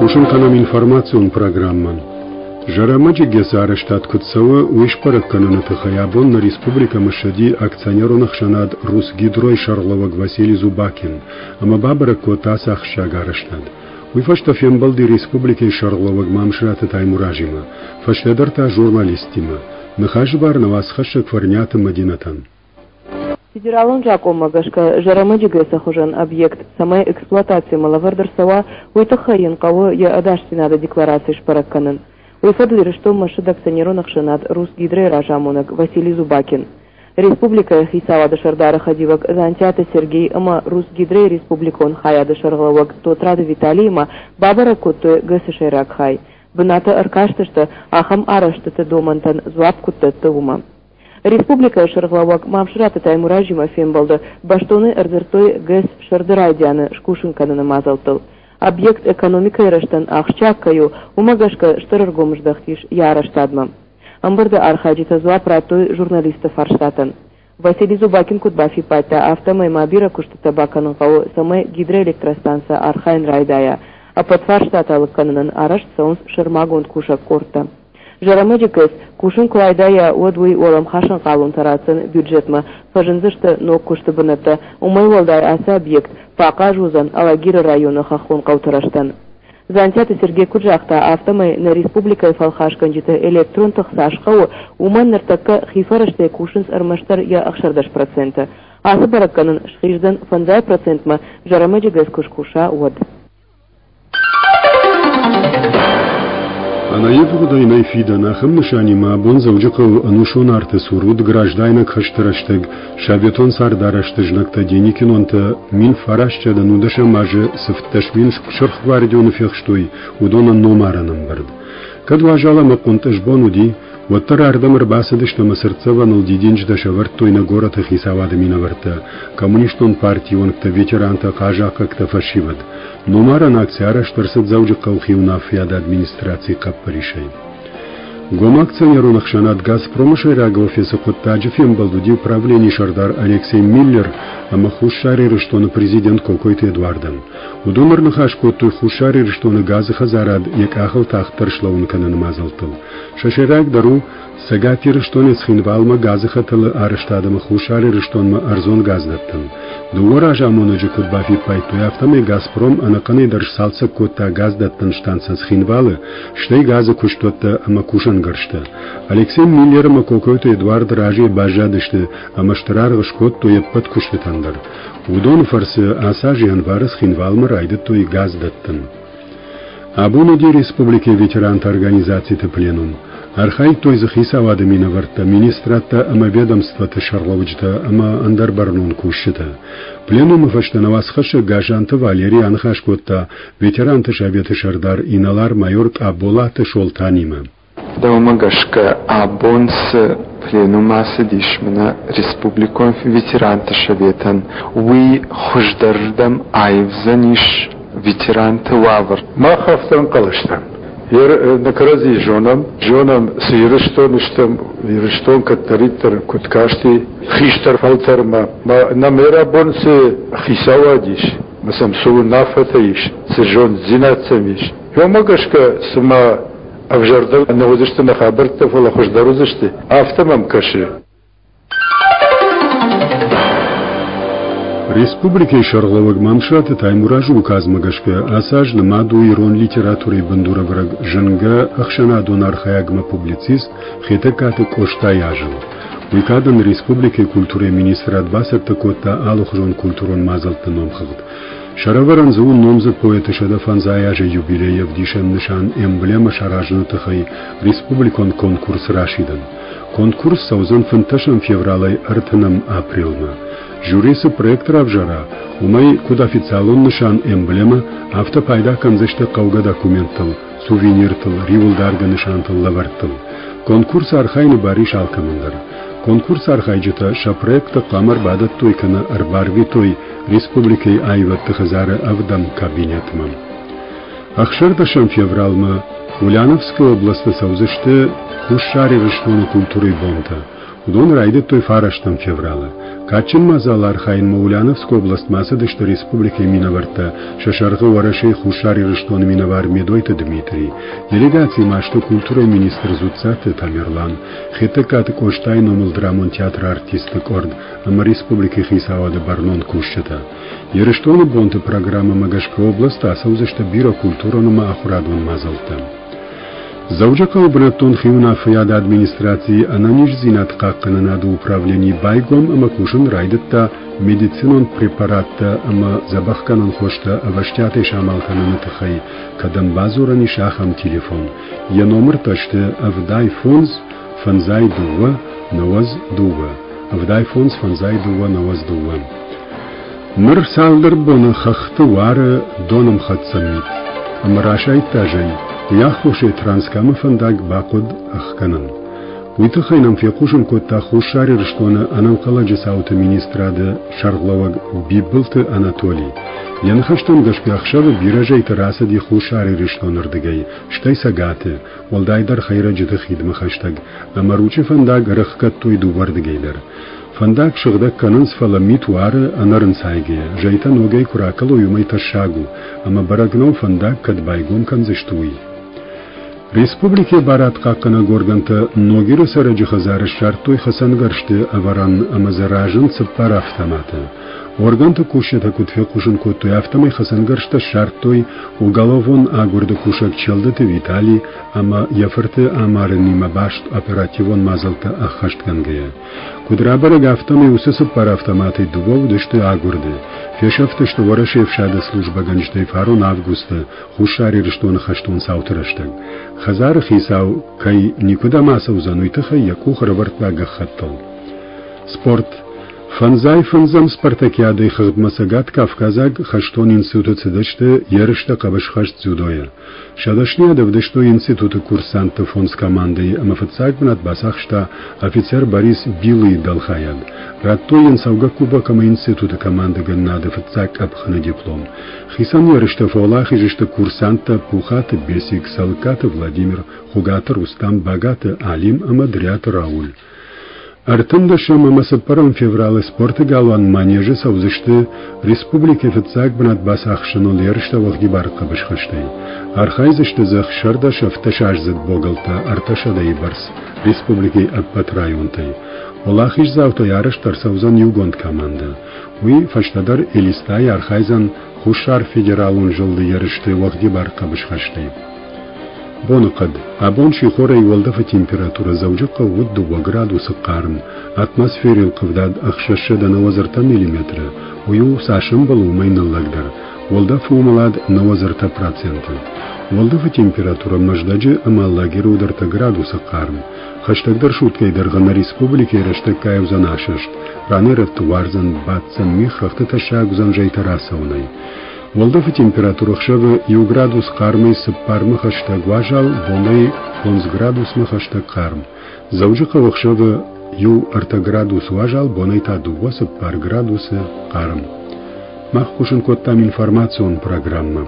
Хъусын кӕнӕм информацион программӕ. Зӕрӕмӕджы ГЭС-ы арӕзтад куыд цӕуы, уый сбӕрӕг кӕныны тыххӕй абон нӕ республикӕмӕ ссыди акционерон ӕхсӕнад «Русгидро»-йы сӕргълӕууӕг Василий Зубакин ӕмӕ бабӕрӕг кодта ацы ахсджиаг арӕзтад. Уый фӕстӕ фембӕлди республикӕйы сӕргълӕууӕг Мамсыраты Таймуразимӕ, фӕстӕдӕр та журналисттимӕ. Ныхасы бар нӕ уацхӕссӕг Фӕрниаты Мӕдинӕтӕн. Федералон закъонмӕ гӕсгӕ Зӕрӕмӕджы ГЭС-ы хуызӕн объект цӕмӕй эксплуатацимӕ лӕвӕрд ӕрцӕуа, уый тыххӕй йын хъӕуы йӕ ӕдасдзинады деклараци сбӕрӕг кӕнын. Уый фӕдыл Ирыстонмӕ ссыд акционерон ӕхсӕнад «Русгидро»-йы разамонӕг Василий Зубакин. Республикӕйы Хицауады Сӕрдары хӕдивӕг Дзантиаты Сергей ӕмӕ «Русгидро»-йы республикон хайады сӕргълӕууӕг Тотраты Виталиимӕ бабӕрӕг кодтой ГЭС-ы сӕйраг хай. Бынаты ӕркастысты, ахӕм арӕзтыты домӕнтӕн дзуапп куыд дӕтты, уымӕ. Республикӕйы Сӕргълӕууӕг Мамсыраты Таймуразимӕ фембӕлды бӕстонӕй ӕрдзырдтой ГЭС сӕрды райдианы скусын кӕныны мадзӕлттыл. Объект экономикӕйы рӕзтӕн ахсджиаг кӕй у, уымӕ гӕсгӕ стыр ӕргом здӕхт ис йӕ арӕзтадмӕ. Ӕмбырды архайджытӕ дзуапп радтой журналистты фарстатӕн. Василий Зубакин куыд бафиппайдта, афтӕмӕй ма бирӕ куыстытӕ бакӕнын хъӕуы, цӕмӕй гидроэлектростанцӕ архайын райдайа. Ӕппӕт фарстатӕ лыг кӕнынӕн арӕзт цӕуынц сӕрмагонд кусӕг къордтӕ. Зӕрӕмӕджы ГЭС кусын куы райдайа, уӕд уый уӕлӕмхасӕн хъалонтӕ ратдзӕн бюджетмӕ, фӕзындзысты ног куысты бынӕттӕ. Уымӕй уӕлдай ацы объект фӕахъаз уыдзӕн Алагиры районы хӕххон хъӕуты рӕзтӕн. Дзантиаты Сергей куыд загъта, афтӕмӕй нӕ республикӕйы фӕлхасгӕнджыты электрон тых цас хъӕуы, уымӕн ныртӕккӕ хи фӕрӕзтӕй кусынц ӕрмӕстдӕр йӕ 16%. Ацы бӕрӕггӕнӕн схиздзӕн 5%-мӕ, Зӕрӕмӕджы ГЭС куы скуса, уӕд. Ӕнӕивгъуыдӕй нӕй фидӕн, ахӕм нысанимӕ абон Дзӕуджыхъӕуы ӕнусон арты цур уыд граждайнаг хӕсты рӕстӕг советон цардарӕзты знӕгтӕ деникинонтӕ 1910 азы цы 17 000 сырхгвардионы фехстой, уыдонӕн номарӕн ӕмбырд. Кӕд уазал ӕмӕ хъуынтъыз бон уыди, уӕддӕр ардӕм ӕрбацыдысты ӕмӕ цыртдзӕвӕныл дидинджытӕ сӕвӕрдтой нӕ горӕты хицауады минӕвӕрттӕ, коммунистон партийы уӕнгтӕ, ветерантӕ, хъазахъхъӕгтӕ, фӕсивӕд. Номарӕн акци арӕзт ӕрцыд Дзӕуджыхъӕуы хиуынаффӕйады администрацийы хъӕппӕрисӕй. Гом акционерон ӕхсӕнад «Газпром»-ы сӕйраг офисы хъуыддаджы фембӕлд уыди управленийы сӕрдар Алексей Миллер ӕмӕ Хуссар Ирыстоны президент Кокойты Эдуардӕн. Уыдон ӕрныхас кодтой Хуссар Ирыстоны газы хӕдзарад йӕ къахыл тагъддӕр слӕууын кӕныны мадзӕлттыл. Сӕ сӕйрагдӕр у Цӕгат Ирыстонӕй Цхинвалмӕ газы хӕтӕлы арӕзтад ӕмӕ Хуссар Ирыстонмӕ ӕрдзон газ дӕттын. Дыууӕ разамонӕджы куыд бафиппайдтой, афтӕмӕй «Газпром» ӕнӕхъӕнӕй дӕр сцалцӕг кодта газдӕттӕн станцӕ Цхинвалы, стӕй газы куыстуӕттӕ ӕмӕ кусӕнгӕрзтӕ. Алексей Миллер ӕмӕ Кокойты Эдуард разыйӕ баззадысты ӕмӕ стыр аргъ скодтой ӕппӕт куыстытӕн дӕр. Уыдоны фӕрцы ацы аз январы Цхинвалмӕ райдыдтой газ дӕттын. Абон уыди республикӕйы ветеранты организациты пленум. Архайдтой дзы хицауады минӕвӕрттӕ, министрадтӕ ӕмӕ ведомствоты сӕргълӕуджытӕ ӕмӕ ӕндӕр бӕрнон кусджытӕ. Пленумы фӕстӕ нӕ уацхӕссӕг Гасанты Валерий аныхас кодта ветеранты советы сӕрдар инӕлар-майор Къаболаты Солтанимӕ. Дӕумӕ гӕсгӕ, абон цы пленум ацыдис мӕнӕ республикон ветеранты советӕн, уый хуыздӕрырдӕм аивдзӕнис ветеранты уавӕр? Мах афтӕ ӕнхъӕл стӕм. Нӕ кӕрӕдзийы зонӕм, зонӕм, цы Ирыстон стӕм, Ирыстон кӕддӕриддӕр куыд касти хистӕр фӕлтӕрмӕ. Нӕм абон цы хицауад ис, ӕмӕ сӕм цы уынаффӕтӕ ис, цы зонддзинад сӕм ис, уымӕ гӕсгӕ цыма ӕвзӕрдӕр нӕ уыдысты нӕ хабӕрттӕ, фӕлӕ хуыздӕр уыдзысты, афтӕ мӕм кӕсы. Республикӕйы сӕргълӕууӕг Мамсыраты Таймуразы указмӕ гӕсгӕ ацы аз нымад у ирон литературӕйы бындурӕвӕрӕг зынгӕ ӕхсӕнадон архайӕгмӕ публицист Хетӕгкаты Къостайы азыл. Уый кадӕн республикӕйы культурӕйы министрад бацӕттӕ кодта алыхуызон культурон мадзӕлтты номхыгъд. Сӕрӕвӕрӕн дзы у номдзыд поэты 105 азы юбилейы ӕвдисӕн нысан эмблемӕ саразыны тыххӕй республикон конкурс расидын. Конкурс цӕудзӕн 15 февралӕй 30 апрелмӕ. Жюри цы проект равзара, уымӕй куыд официалон нысан эмблемӕ, афтӕ пайда кӕндзысты хъӕугӕ документтыл, сувениртыл, риуылдаргӕ нысантыл, лӕвӕрттыл. Конкурсы архайыны бар ис алкӕмӕн дӕр. Конкурсы архайджытӕ сӕ проекттӕ хъуамӕ ӕрбадӕттой кӕнӕ ӕрбарвитой республикӕйы аивӕдты хӕдзары ӕвдӕм кабинетмӕ. 16 февралмӕ Ульяновскы областы цӕудзысты Хуссар Ирыстоны культурӕйы бонтӕ. Уыдон райдыдтой фарӕстӕм февралы. Кадджын мадзалы архайынмӕ Ульяновскы областмӕ ацыдысты республикӕйы минӕвӕрттӕ, сӕ сӕргъы Уӕрӕсейы Хуссар Ирыстоны минӕвар Медойты Дмитрий. Делегацийы ма сты культурӕйы министр Дзуццаты Тамерлан, Хетӕгкаты Къостайы номыл драмон театры артистты къорд ӕмӕ республикӕйы хицауады бӕрнон кусджытӕ. Ирыстоны бонты программӕмӕ гӕсгӕ областы ацӕудзысты бирӕ культурон ӕмӕ ахуырадон мадзӕлттӕ. Дзӕуджыхъӕуы бынӕттон хиуынаффӕйады администрацийы ӕнӕниздзинад хъахъхъӕнынады управлени байгом ӕмӕ кусын райдыдта медицинон препараттӕ ӕмӕ дзӕбӕхгӕнӕн хостӕ ӕвӕстиатӕй самал кӕныны тыххӕй кӕдӕм бадзурӕн ис, ахӕм телефон. Йӕ номыртӕ сты 75 52 92, 75 52 92. Ныр цалдӕр боны хӕхты уары донӕмхӕццӕ мит, ӕмӕ расайдта зӕй, уый аххосӕй Транскамы фӕндаг бахъуыд ӕхгӕнын. Уый тыххӕй нӕм фехъусын кодта Хуссар Ирыстоны ӕнӕнхъӕлӕджы цауты министрады сӕргълӕууӕг Бибылты Анатоли. Йӕ ныхӕстӕм гӕсгӕ ӕхсӕвы бирӕ зӕйтӕ рацыди Хуссар Ирыстоны рдыгӕй, стӕй Цӕгаты, уӕлдайдӕр хӕйрӕджыты хидмӕ хӕстӕг, ӕмӕ Ручъы фӕндаг ӕрӕхгӕдтой дыууӕрдыгӕй дӕр. Фӕндаг сыгъдӕг кӕнынц, фӕлӕ мит уары ӕнӕрынцайгӕйӕ, зӕйтӕ ногӕй куы ракӕлой, уымӕй тӕссаг у, ӕмӕ бӕрӕг нӕу фӕндаг кӕд байгом кӕндзысты, уый. Республикӕйы барадхъахъхъӕнӕг органтӕ Ногиры цӕрӕджы хӕдзары ссардтой хӕцӕнгӕрзты ӕвӕрӕн ӕмӕ дзы разынд цыппар автоматы. Органты кусджытӕ куыд фехъусын кодтой, афтӕмӕй хӕцӕнгӕрзтӕ ссардтой уголовон агуырды кусӕг Челдыты Витали ӕмӕ йӕ фырты амарынимӕ баст оперативон мадзӕлттӕ ӕххӕстгӕнгӕйӕ. Куыд рабӕрӕг, афтӕмӕй уыцы цыппар автоматӕй дыууӕ уыдысты агуырды. Фесӕфтысты Уӕрӕсейы ӕфсады службӕгӕнджытӕй фарон августы Хуссар Ирыстоны хӕстон цауты рӕстӕг. Хӕдзары хицау кӕй никуыдӕм ацӕудзӕн, уый тыххӕй йӕ къух ӕрӕвӕрдта гӕххӕттыл. Спорт. Фӕндзай фӕндзӕм спартакиадӕйы хыгъдмӕ Цӕгат Кавказаг хӕстон институты цыдысты ерыстӕ хъӕбысхӕст дзюдойӕ. Сӕ дӕсныйад ӕвдыстой институты курсантты фондз командӕйы ӕмӕ фыццаг бынат бацахста офицер Борис Билыйы дӕлхайад. Радтой йын цӕугӕ кубок ӕмӕ институты командӕгӕнынады фыццаг къӕпхӕны диплом. Хицӕн ерыстӕ фӕуӕлахиз сты курсанттӕ Пухаты Бесик, Цӕлыккаты Владимир, Хуыгаты Рустам, Багаты Алим ӕмӕ Дриаты Рауль. Ӕртындӕсӕм ӕмӕ цыппӕрӕм февралы спорты галуан Манеж-ы цӕудзысты республикӕйы фыццаг бынат бацахсыныл ерыстӕ уӕгъдибар хъӕбысхӕстӕй. Архайдзысты дзы ӕхсӕрдӕс ӕвддӕсаздзыд богӕлттӕ ӕртӕсӕдӕйы бӕрц республикӕйы ӕппӕт районтӕй. Уӕлахиздзаутӕй арӕзт ӕрцӕудзӕн иугонд командӕ. Уый фӕстӕдӕр Элистайы архайдзӕн Хуссар федералон зылды ерысты уӕгъдибар хъӕбысхӕстӕй. Боныхъӕд. Абон сихорӕй уӕлдӕфы температурӕ Дзӕуджыхъӕуы уыд дыууӕ градусы хъарм, атмосферӕйыл хъыгдард 693 миллиметры, уый у, цас ӕмбӕлы, уымӕй ныллӕгдӕр. Уӕлдӕфы уымӕлад 93%. Уӕлдӕфы температурӕ Мӕздӕджы ӕмӕ Алагиры уыд ӕртӕ градусы хъарм. Хӕстӕгдӕр суткӕйы дӕргъы нӕ республикӕйы рӕстӕггай уыдзӕн асӕст, ранӕй-рӕтты уардзӕн, баддзӕн мигъ, хӕхты тӕссаг уыдзӕн зӕйтӕ рацӕуынӕй. Уӕлдӕфы температурӕ ӕхсӕвы иу градус хъармӕй цыппармӕ хӕстӕг уазал, бонӕй фондз градусмӕ хӕстӕг хъарм. Дзӕуджыхъӕуы ӕхсӕвы иу ӕртӕ градус уазал, бонӕй та дыууӕ цыппар градусы хъарм. Мах хъусын кодтам информацион программӕ.